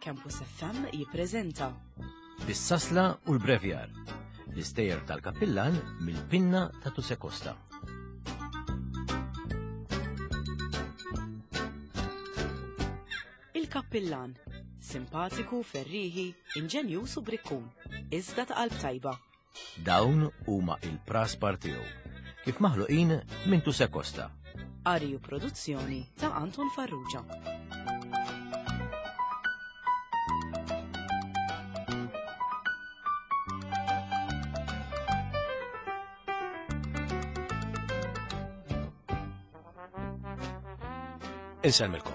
Campus FM jippreżenta Bis-sasla u l-brevjar, l-istejjer tal-kappillan mill-pinna ta' Tuse Costa. Il-Kappillan, simpatiku, ferrieħi, inġenjuż u brikkun, iżda ta' qalb tajba. Dawn huma il-praspar tiegħu, kif maħluqin minn Tuse Costa. Qari u produzzjoni ta' Anton Farrugia. Insellmilkom.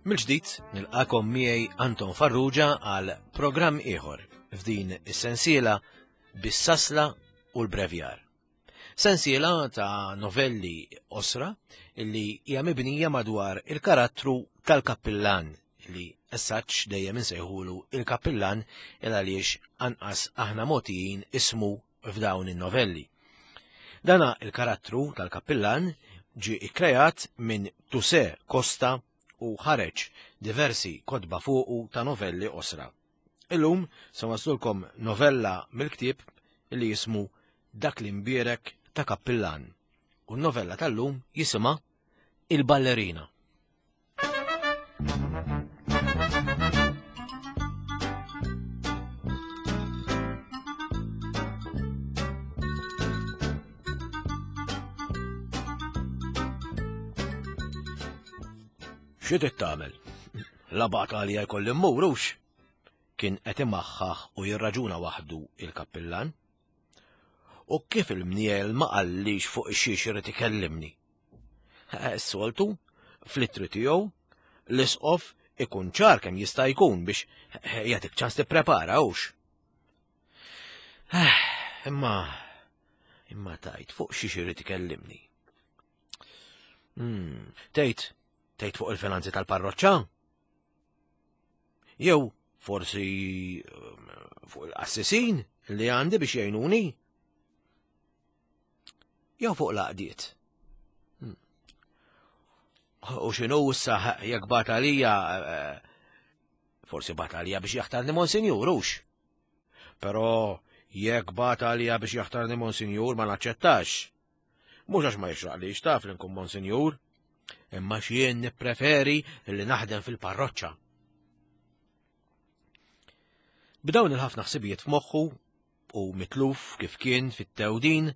Mill-ġdid nilqakom miegħi Anton Farrugia għal programm ieħor f'din is-sensiela bis-sasla u l-brevjar. Sensiela ta' novelli osra li hija mibnija madwar il-karattru tal-kappillan li essaċ dejjem insejħulu il-kappillan il għaliex anqas aħna mogħtijin ismu f'dawn in-novelli. Dana il-karattru tal-kappillan ġie ikkreat minn Tuse Costa u ħareġ diversi kotba fuqu ta' novelli osra. Illum se waslulkom novella mill-ktieb li jismu Dak li mbierek ta' kappillan. U n-novella tal-lum jisimha Il-Ballerina. Xi trid tagħmel? La bata għalija jkolli mmur hux? Kien qed imaħħaħ u jirraġuna waħdu il-kappillan. U kif il-mniel ma qallix fuq xiex irid ikellimni. Eh, soltu, fl-ittri tiegħu, l-isqof ikun ċar kemm jista' jkun biex eh, jagħtik ċans tipprepara hux. Eh, imma imma tajt fuq xiex irid ikellimni. Hmm, tgħid, tgħid fuq il-finanzi tal-parroċċa? Jew forsi ehm, fuq il-qassisin li għandi biex jgħinuni? Jew fuq l-għaqdiet? Hmm. U x'inhu issa jekk bat għalija eh, forsi bat għalija biex jaħtarni monsinjur hux. Però jekk bat għalija biex jaħtarni monsinjur ma naċċettax. Mhux għax ma jixraqlix taf li nkun monsinjur, imma x'jien nippreferi li naħdem fil-parroċċa. B'dawn il-ħafna ħsibijiet f'moħħu u mitluf kif kien fit-tewdin,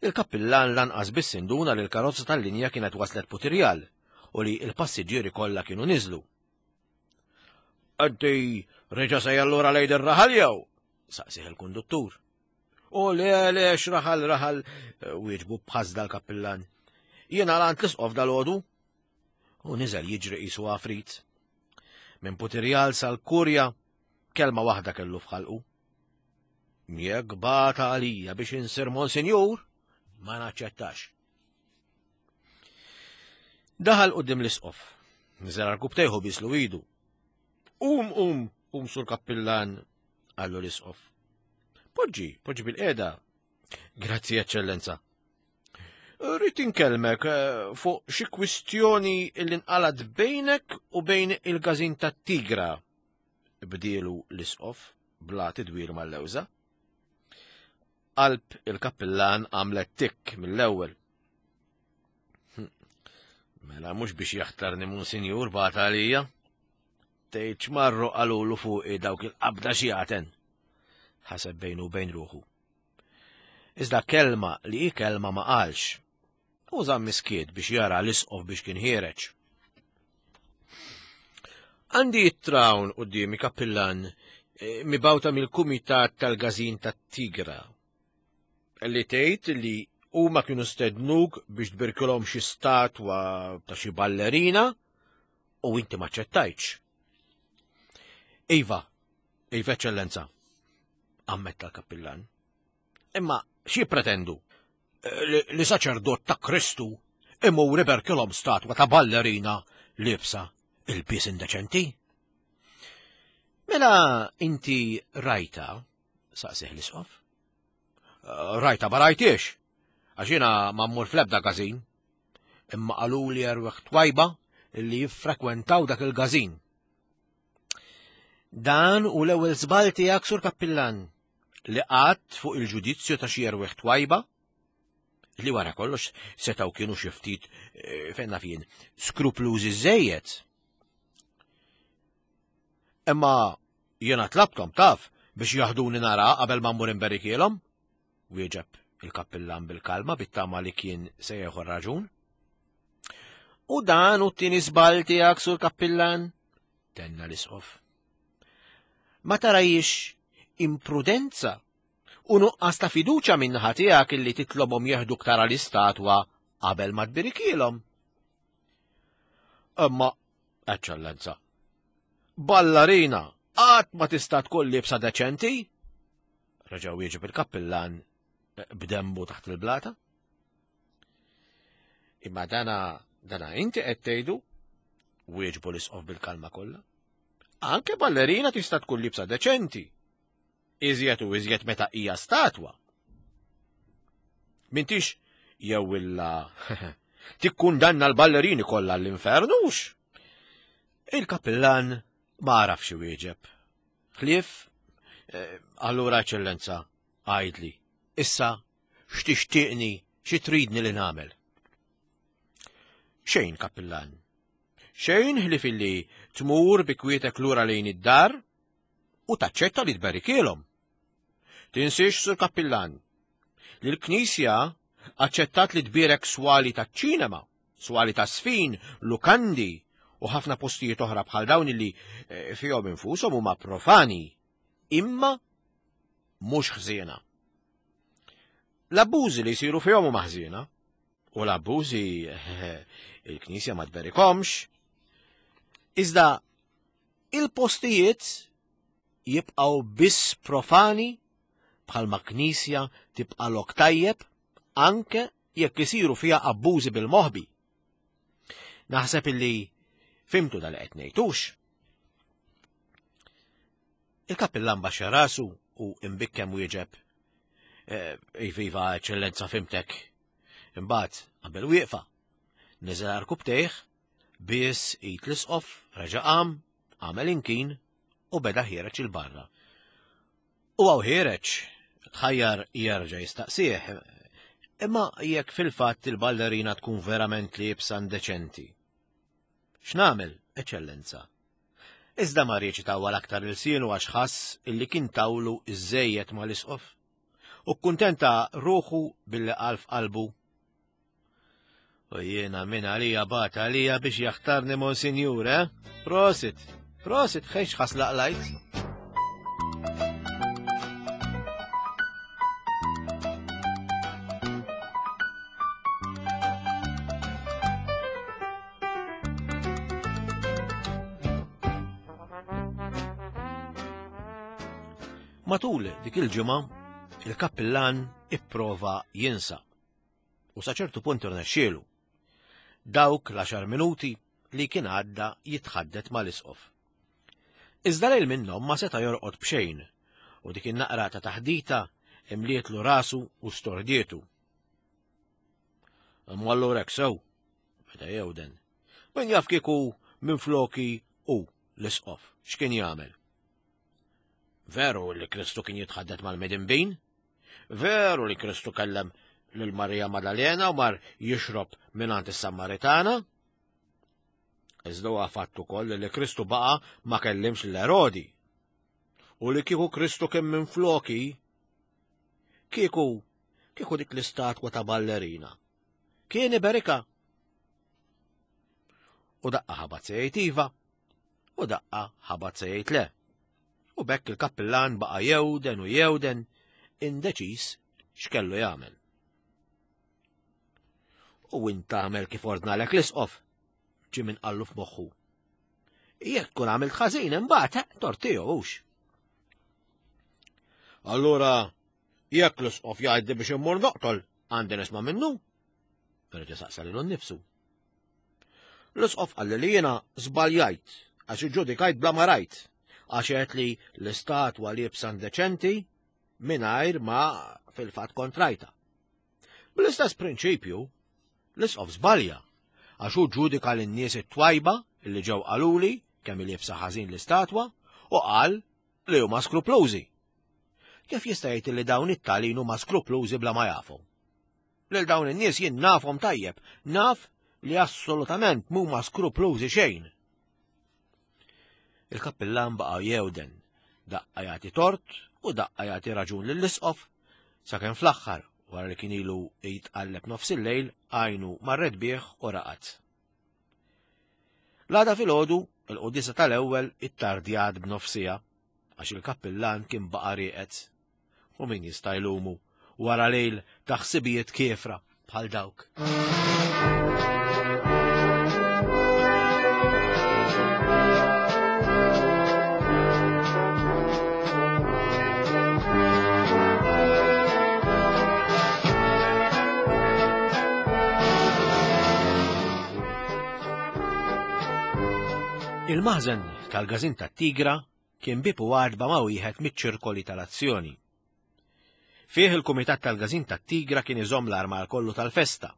il-kappillan lanqas biss induna li l-karozza tal-linja kienet waslet Putirjal u li l-passiġġieri kollha kienu niżlu. Għaddi reġa' se jallura lejn ir-raħal jew? saqsih il-konduttur. U le, le, x'raħal raħal, eh, wieġbu b'ħasda l-kappillan. Jiena għand l-isqof dal-għodu. U niżel jiġri qisu għafrit. Minn Putirjal sal-Kurja, kelma waħda kellu f'ħalqu. Jekk bata għalija biex insir monsinjur, ma naċċettax. Daħal qudiem l-isqof. Niżel għal kubtejħu bislu idu. Um, um, um sur kappillan, qallu l-isqof. Poġġi, poġġi bil-qeda. Grazzi, eċċellenza. Rrid inkelmek eh, fuq xi kwistjoni li nqalad bejnek u bejn il-każin tat-Tigra. Bdielu l-isqof bla tidwir mal-lewża. Qalb il-kappillan għamlet tikk mill-ewwel. Hm. Mela mhux biex jaħtarni munsinjur bagħat għalija. Tgħid x'marru qalulu fuqi dawk il-qabda xjaten. Ħaseb bejnu u bejn ruħu. Iżda kelma li hi kelma ma qalx. U żamm miskiet biex jara l-isqof biex kien ħiereġ. Għandi it-trawn qudiemi kappillan eh, mibawta mill-kumitat tal-gazin tat-Tigra li tgħid li huma kienu stednuk biex tbirkilhom xi statwa ta' xi ballerina u inti ma ċettajtx. Iva, iva eċċellenza, ammetta l-kappillan. Imma xi pretendu? Eh, li saċerdot ta' Kristu imur iberkilhom statwa ta' ballerina libsa il-bies indeċenti? Mela inti rajta, saqsih l-isqof. Eh, rajta ma rajtiex, għax jiena ma mmur fl-ebda każin. Imma qaluli erweħ twajba li jiffrekwentaw dak il-każin. Dan hu l-ewwel żball tiegħek sur kappillan li qatt fuq il-ġudizzju ta' xi erwieħ twajba li wara kollox setgħu kienu xi ftit eh, fejn naf jien skruplużi żejjed. Imma jiena tlabtom taf biex jaħduni nara qabel ma mmur imberikielhom, wieġeb il-kappillan bil-kalma bit-tama li kien se jieħu raġun. U dan u t-tieni żball tiegħek sur kappillan, tenna l-isqof. Ma tarajiex imprudenza u nuqqas ta' fiduċa minnaħa tiegħek illi titlobhom jeħduk tara l-istatwa qabel ma tbirikielhom. Imma, eċċellenza, ballarina qatt ma tista' tkun libsa deċenti? Reġa' wieġeb il-kappillan eh, b'demmu taħt il-blata. Imma dana dana inti qed tgħidu wieġbu l-isqof bil-kalma kollha. Anke ballerina tista' tkun libsa deċenti. Iżjed u iżjed meta hija statwa. Mintix jew illa tikkundanna l-ballerini kollha l-infernux. Il-kapillan ma għarafx iwieġeb. Ħlief, eh, allura eċċellenza, għajdli, issa x'tixtieqni, xi tridni li nagħmel? Xejn, kappillan. Xejn ħlief illi tmur bi kwietek lura lejn id-dar u taċċetta li tberikielhom. Tinsiex sur kappillan li l-Knisja aċċettat li tbierek swali taċ-ċinema, swali ta' sfin, lukandi u ħafna postijiet oħra bħal dawn li eh, fihom infushom huma profani, imma mhux ħżiena. L-abbużi li jsiru fihom huma ħżiena, u l-abbużi il-Knisja ma tberikomx, iżda il-postijiet jibqgħu biss profani bħalma knisja tibqa' lok tajjeb anke jekk isiru fiha abbużi bil-moħbi. Naħseb illi fimtu dal qed ngħidux. Il-kappillan baxxa rasu u imbikkem wieġeb. Eh, iviva, eċċellenza, fimtek. Imbagħad qabel wieqfa, niżel arkubtejh, biss id l-isqof, reġa' qam, għamel inkin u beda ħiereġ il-barra. U għaw ħiereġ, tħajjar jerġa' jistaqsih, imma jekk fil-fatt il-ballerina tkun verament liebsa indeċenti. X'nagħmel, eċċellenza? Iżda ma riedx itawwal aktar ilsienu għax ħass illi kien tawlu iżżejjed mal-isqof. U kkuntenta ruħu billi qal f'qalbu U jiena minn għalija bat għalija biex jaħtarni monsinjur, eh? Prosit, prosit, xejx ħaslaq lajt. Matul dik il-ġimgħa, il-kappillan ipprova jinsa. U sa ċertu punt irnexxielu. Dawk l-għaxar minuti li kien għadda jitħaddet mal-isqof. Iżda lejl minnhom ma seta' jorqod b'xejn u dik in-naqra ta' taħdita imlietlu rasu u stordietu. Imma allura hekk sew, beda jewden. Min jaf kieku minn floki u l-isqof x'kien jagħmel. Veru li Kristu kien jitħaddet mal-midinbin? Veru li Kristu kellem lil Marija Madalena u mar jixrob mingħand is-Sammaritana? Iżda huwa fatt ukoll li Kristu baqa' ma kellimx l-Erodi. U li kieku Kristu kien minn floki, kieku kieku dik l-istatwa ta' ballerina. Kien iberika. U daqqa ħabat se jgħid iva, u daqqa ħabat se jgħid le. U bekk il-kappillan baqa' jewden u jewden indeċiż x'kellu jagħmel. U int tagħmel kif ordnalek l-isqof, ġie minn qallu f'moħħu. Jekk tkun għamilt ħażin imbagħad eh, tort tiegħu hux. Allura jekk l-isqof jgħidli biex immur noqtol, għandi nisma' minnu? Reġa' saqsa lilu nnifsu. L-isqof qalli li jiena żbaljajt għax iġġudikajt bla ma rajt għax għedt li l-istatwa liebsa indeċenti mingħajr ma fil-fatt kontrajta. Bl-istess prinċipju, l-isqof żbalja għax hu ġudika lin-nies it-twajba li ġew qaluli kemm liebsa ħażin l-istatwa U qal li huma skruplużi. Kif jista' jgħid li dawn it-talin huma skruplużi bla ma jafu? Lil dawn in-nies jien nafhom tajjeb, naf li assolutament mhuma skruplużi xejn. Il-kappillan baqa' jewden, daqqa jagħti tort u daqqa jagħti raġun lill-isqof, sakemm fl-aħħar, wara li kien ilu jitqalleb nofs il-lejl, għajnu marret bih u raqad. L-għada filgħodu, il-quddiesa tal-ewwel ittardjat b'nofsija għax il-kappillan kien baqa' rieqed. U min jista' jlumu wara lejl ta' ħsibijiet kiefra bħal dawk. Il-maħżen tal-gazin tat-Tigra kien bieb u għatba ma' wieħed miċ-ċirkoli tal-azzjoni. Fih il-Kumitat tal-Gazin tat-Tigra kien iżomm l-armar kollu tal-festa.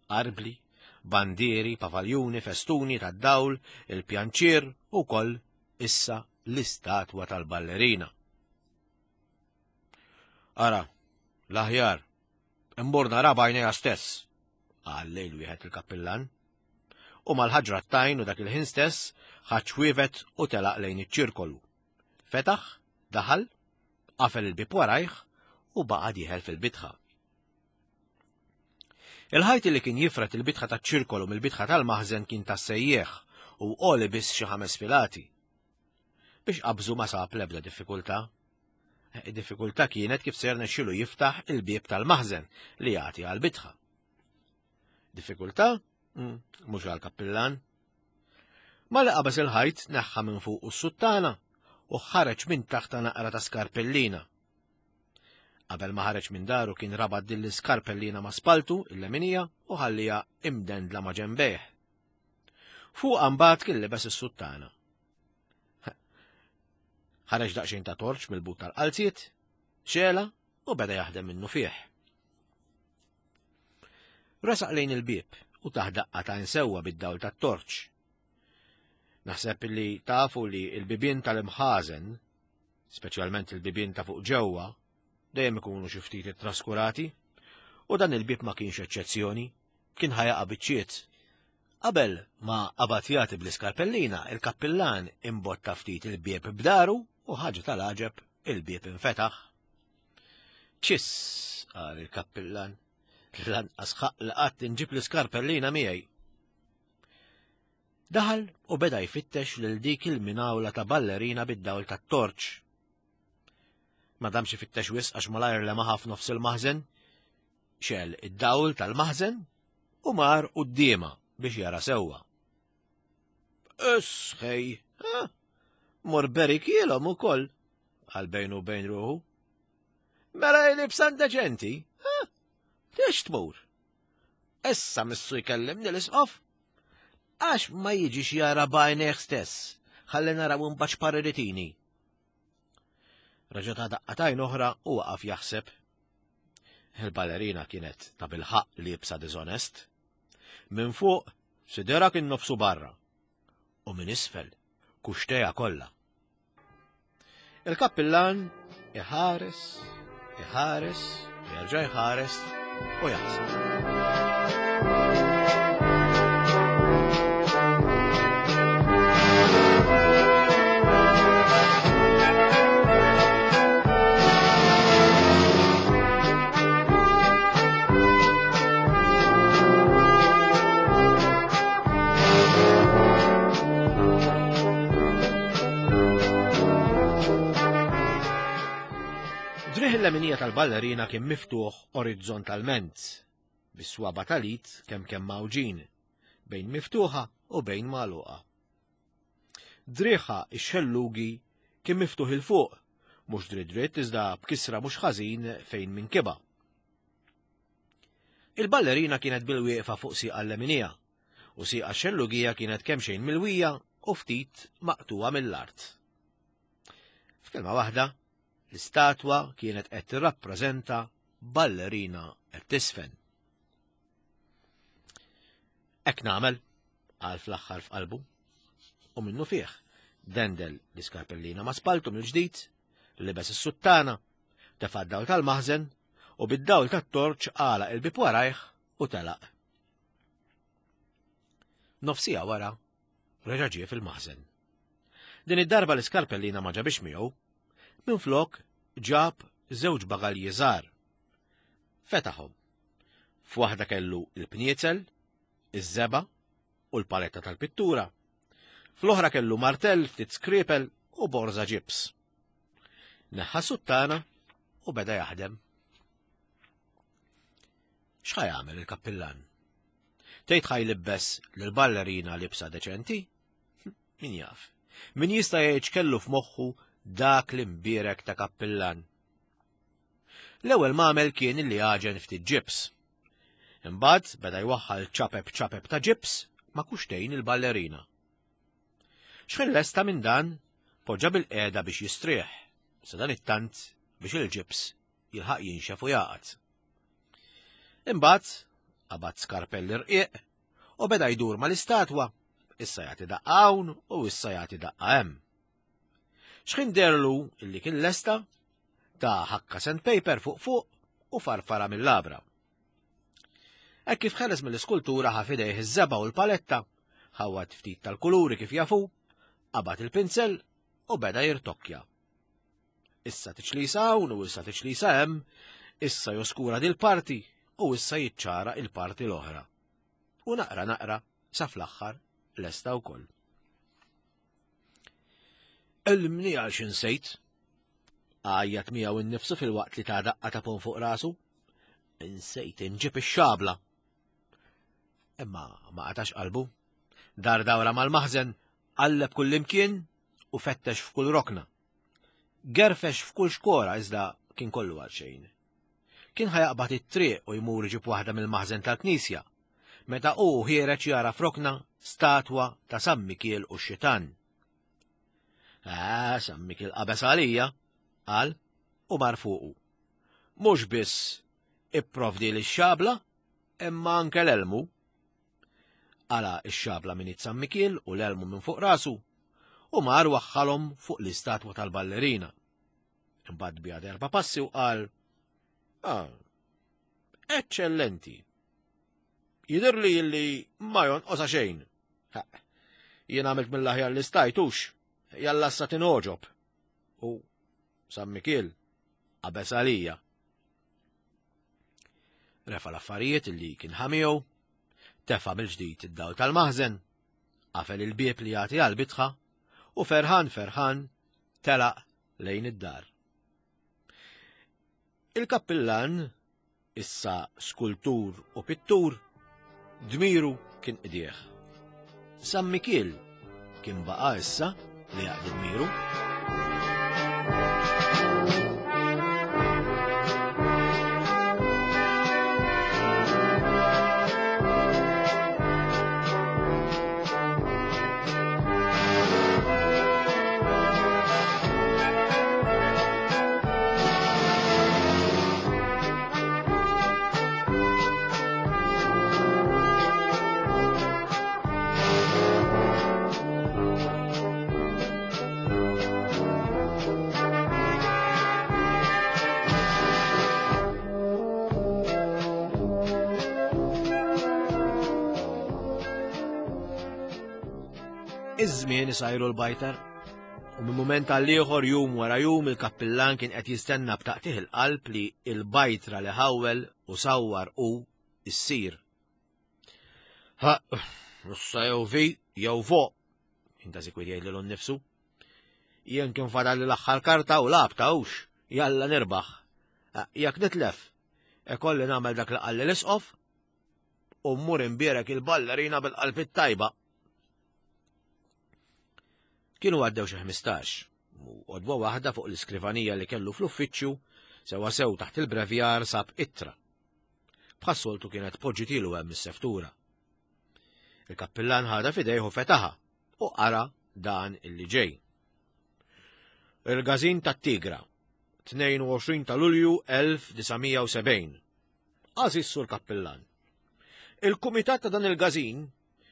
Arbli, bandieri, pavaljuni, festuni tad-dawl, il-pjanċier u koll issa l-istatwa tal-ballerina. Ara, l-aħjar, immur nara b'għajnejja stess, qal lejl wieħed il-kappillan. U mal-ħaġra t-tajn u dak il-ħin stess ħadd u telaq lejn iċ-ċirkolu. Fetaħ, daħal, qafel il-bieb warajh u baqa' dieħel fil-bitħa. Il-ħajt li kien jifret il-bitħa taċ-ċirkolu mill-bitħa tal-maħżen kien tas-sejjieħ u għoli biss xi ħames filati. Biex qabżu ma sab l-ebda diffikultà. Id-diffikultà kienet kif ser nexxilu jiftaħ il-bieb tal-maħżen li jagħti għall-bitħa. Diffikultà? Mm, mhux għall-kappillan. Malli qabeż il-ħajt neħħa minn fuq s-suttana u ħareġ minn taħta naqra ta' skarpellina. Qabel ma ħareġ minn daru kien rabat din l-iskarpellina ma' spaltu il-leminija u ħallija imdendla ma' ġembejh. Fuq mbagħad kien libes is-suttana. Ħareġ daqsxejn ta' torċ mill-but tal-qalziet, xela u beda jaħdem minnu fih. Resaq lejn il-bieb u tah daqqa ta' insewwa bid-dawl tat-torċ. Naħseb li tafu li l-bibien tal-imħażen, speċjalment il-bibien ta' fuq ġewwa, dejjem ikunu xi ftit ittraskurati, u dan il-bieb ma kienx eċċezzjoni, kien ħajaqa' biċċiet. Qabel ma qabad jagħti bl-iskarpellina, il-kappillan imbotta ftit il-bieb b'daru u ħaġa tal-għaġeb il-bieb infetaħ. Ċiss, qal il-kappillan, lanqas ħaq li qatt inġib l-iskarpellina miegħi. Daħal u beda jfittex lil dik il-minawla ta' ballerina bid-dawl tat-torċ. Ma damx ifittex wisq għax malajr lemaħa f'nofs il-maħżen, xel id-dawl tal-maħżen u mar quddiema biex jara sewwa. Isħej, mor berikielhom ukoll, għal bejnu bejn ruħu. Mela jlibsan deċenti, Liex tmur? Issa missu jkellimni l-isqof. Għax ma jiġix jara b'għajnejh stess, ħalli naraw imbagħad x'pariritini. Reġa' ta' daqqatajn oħra u waqaf jaħseb. Il-ballerina kienet ta' bilħaq liebsa diżonest. Minn fuq sidera kien nofsu barra u minn isfel kuxteja kollha. Il-kappillan iħares, iħares, jerġa' jħares u jaħseb. Driħ il-leminija tal-ballerina kien miftuħ orizzontalment, bis-swaba tal-id kemm kemm mawġin, bejn miftuħa u bejn magħluqa. Driħa ix-xellugi kien miftuħ il fuq, mhux dritt dritt iżda b'kisra mhux ħażin fejn minkiba. Il-ballerina kienet bil-wieqfa fuq sieqa l-leminija u sieqa x-xellugija kienet kemxejn milwija u ftit maqtuwa mill-art. F'kelma waħda, l-istatwa kienet qed tirrappreżenta ballerina qed tisfen. Hekk nagħmel, qal fl-aħħar f'qalbu. U minnu fih, Dendel l-iskarpellina ma' spaltu mill-ġdid, libes is-suttana, tefa' d-dawl tal-maħżen u bid-dawl tat-torċ għalaq il-bieb warajh u telaq. Nofsija wara, reġa' ġie fil-maħżen. Din id-darba l-iskarpellina ma ġabix miegħu, minflok ġab żewġ bagalji żgħar. Fetaħhom. F'waħda kellu l-pniezel, iż-żebgħa u l-paletta tal-pittura. Fl-oħra kellu martell, ftit skripel u borża ġibs. Neħħa suttana u beda jaħdem. X'ħa jagħmel il-kappillan? Tgħid ħa jlibbes lill-ballerina libsa deċenti? Min jaf? Min jista' jgħid x'kellu f'moħħu dak l-imbierek ta' kappillan? L-ewwel m'għamel kien li għaġen ftit ġibs. Imbagħad beda jwaħħal ċapep ċapep ta' ġibs ma' kuxtejn il-ballerina. X'ħin lesta minn dan, poġġa bil-qiegħda biex jistrieħ, sa dan it-tant biex il-ġibs jilħaq jinxef u jaqgħad. Imbagħad qabad skarpell irqiq u beda jdur mal-istatwa, issa jagħti daqqa hawn u issa jagħti daqqa hemm. X'ħin derlu illi kien lesta, ta' ħakka sandpaper fuq fuq u farfara mill-labra. Hekk kif ħeles mill-iskultura ħa f'idejh iż-żebgħa u l-paletta, ħawwad ftit tal-kuluri kif jafu, qabad il-pinzell u beda jirtokkja. Issa tiċlisa hawn u issa tiċlisa hemm, issa joskura dil-parti u issa jiċċara il-parti l-oħra. U naqra naqra sa fl-aħħar lesta wkoll. Ellimni għal x'insejt. Għajjat miegħu innifsu filwaqt li ta' daqqa ta' pon fuq rasu. Insejt inġib ix-xabla. Imma ma qatax qalbu. Dar dawra mal-maħżen, qalleb kullimkien u fettex f'kull rokna. Gerfex f'kull xkora iżda kien kollu għal xejn. Kien ħajaqbad it-triq u jmur iġib waħda mill-maħżen tal-knisja, meta hu ħiereġ jara f'rokna statwa ta' San Mikiel u x-xitan. Ah, San Mikiel qabeż għalija, qal u mar fuqu. Mhux biss ipprovdi li xabla, imma anke l-elmu. Qala x-xabla minn San Mikiel u l-elmu minn fuq rasu u mar waħħalhom fuq l-istatwa tal-ballerina. Imbagħad biha erba' passi u qal, ah, eċċellenti. Jidhirli li ma jonqosha xejn. Jien għamilt mill-aħjar li stajtux, jalla sa tinogħġob. U San Mikiel qabeż għalija. Refa l-affarijiet li kien ħamiegħu, tefa' mill-ġdid id-dawl tal-maħżen, qafel il-bieb li jagħti għall-bitħa u ferħan ferħan telaq lejn id-dar. Il-kappillan, issa skultur u pittur, dmiru kien qdieħ. San Mikiel kien baqa' issa li jaqdi dmiru. Iż-żmien isajru l-bajtar. U minn mument għal ieħor jum wara jum il-kappillan kien qed jistenna b'taqtih il-qalb li il-bajtra li ħawwel u sawwar u issir. Ha, issa jew vi, jew vo, kien ta' sikwit jgħid lilu nnifsu. Jien kien fadal l-aħħar karta u labta hux, jalla nirbaħ. Jekk nitlef, ikolli nagħmel dak li qalli l-isqof u mmur imbierek il-ballerina bil-qalb it-tajba. Kienu għaddew xi 15, u għodwa waħda fuq l-iskrivanija li kellu fl-uffiċċju, sewa sew taħt il-brevjar sab ittra. Bħas-soltu kienet poġġitilu hemm is-seftura. Il-kappillan ħadha f'idejh u fetaħa u qara dan illi ġej. Il-Gazin tat-Tigra, 22 ta' Lulju 1970. Għażiż Sur Kappillan, il-kumitat ta' dan il-gazin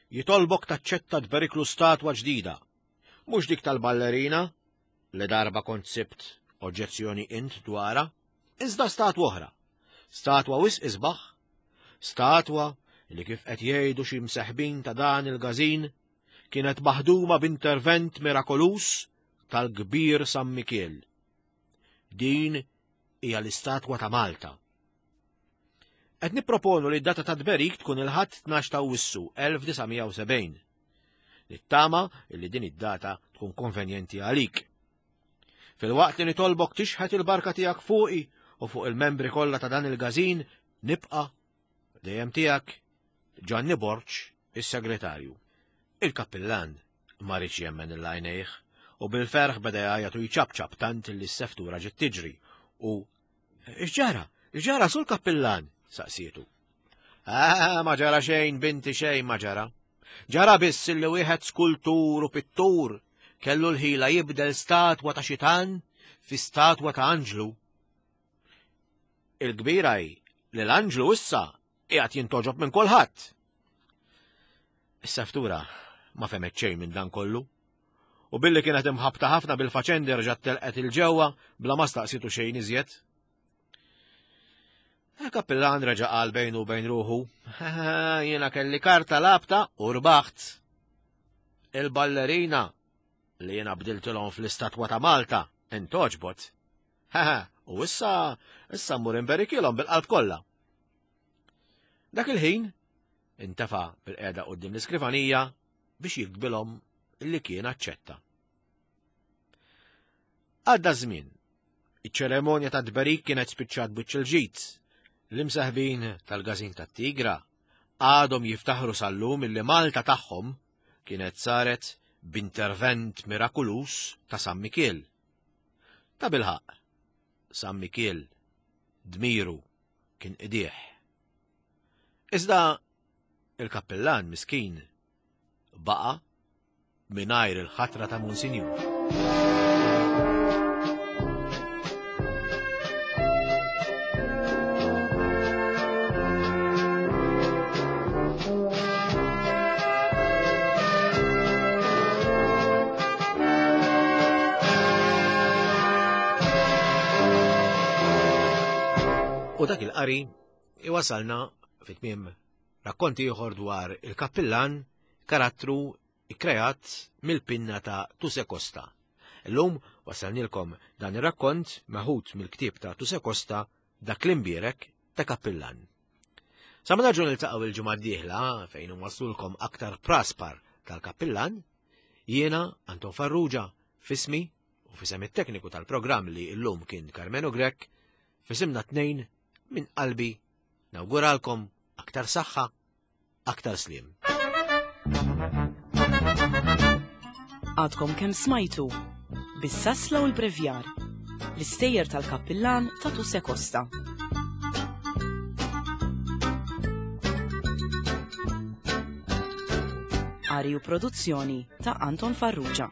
jitolbok taċċetta tberiklu statwa ġdida. Mhux dik tal-ballerina li darba kont sibt oġġezzjoni int dwarha, iżda statwa oħra. Statwa wisq isbaħ, statwa li kif qed jgħidu xi mseħbin ta' dan il-gażin kienet maħduma b'intervent mirakoluż tal-kbir San Mikiel. Din hija l-istatwa ta' Malta. Qed nipproponu li d-data ta' tberik tkun il-Ħadd 12 ta' Awwissu 1970. Nittama li din id-data tkun konvenjenti għalik. Filwaqt li nitolbok tixħet il-barka tiegħek fuqi u fuq il-membri kollha ta' dan il-gażin, nibqa' dejjem tiegħek Ġanni Borg, is-segretarju. Il-kappillan ma riedx jemmen lil għajnejh u bil-ferħ beda jgħajjat u jċapċap tant li s-seftura ġiet tiġri u X'ġara? X'ġara sul kappillan? saqsietu. Ah, ma ġara xejn, binti xejn ma ġara. Ġara biss li wieħed skultur u pittur kellu l-ħila jibdel statwa ta' xitan fi statwa ta' anġlu. Il-kbira hi li l-anġlu issa qiegħed jintoġob minn kulħadd. Is-seftura ma femet xejn minn dan kollu. U billi kienet imħabta ħafna bil-faċendi rġgħet telqet il-ġewwa bla ma staqsitu xejn iżjed. Il-kappillan reġa' qal bejnu u bejn ruħu, jiena kelli karta labta u rbaħt. Il-ballerina li jiena bdiltilhom fl-istatwa ta' Malta intoġbot. U issa, issa mmur imberikilhom bil-qalb kollha. Dak il-ħin, intefa' bil-qiegħda quddiem l-iskrivanija biex jiktbilhom li kien aċċetta. Għadda żmien. Iċ-ċeremonja ta' tberik kienet spiċċat biċċ il-ġid. L-imseħbin tal-gażin tat-Tigra għadhom jiftaħru sal-lum illi Malta tagħhom kienet saret b'intervent mirakuluż ta' San Mikiel. Ta' bilħaqq, San Mikiel dmiru kien qdih. Iżda il-kappillan miskin baqa' mingħajr il-ħatra ta' Monsinjur. U dak il-qari iwasalna fit-tmiem rakkont ieħor dwar il-kappillan karattru ikkreat mill-pinna ta' Tuse Costa. Illum wasalnilkom dan ir-rakkont meħud mill-ktieb ta' Tuse Costa Dak l-imbierek ta' kappillan. Sa ma nerġgħu niltaqgħu il-ġimgħa d-dieħla fejn inwasslulkom aktar praspar tal-kappillan, jiena Anton Farrugia fismi u fisem it-tekniku tal-programm li llum kien Karmenu Grech, fisimna tnejn minn qalbi nawguralkom aktar saħħa, aktar sliem. Għadkom kemm smajtu bis-sasla u l-brevjar l-istejjer tal-kappillan ta' Tuse Costa. Ari u produzzjoni ta' Anton Farrugia.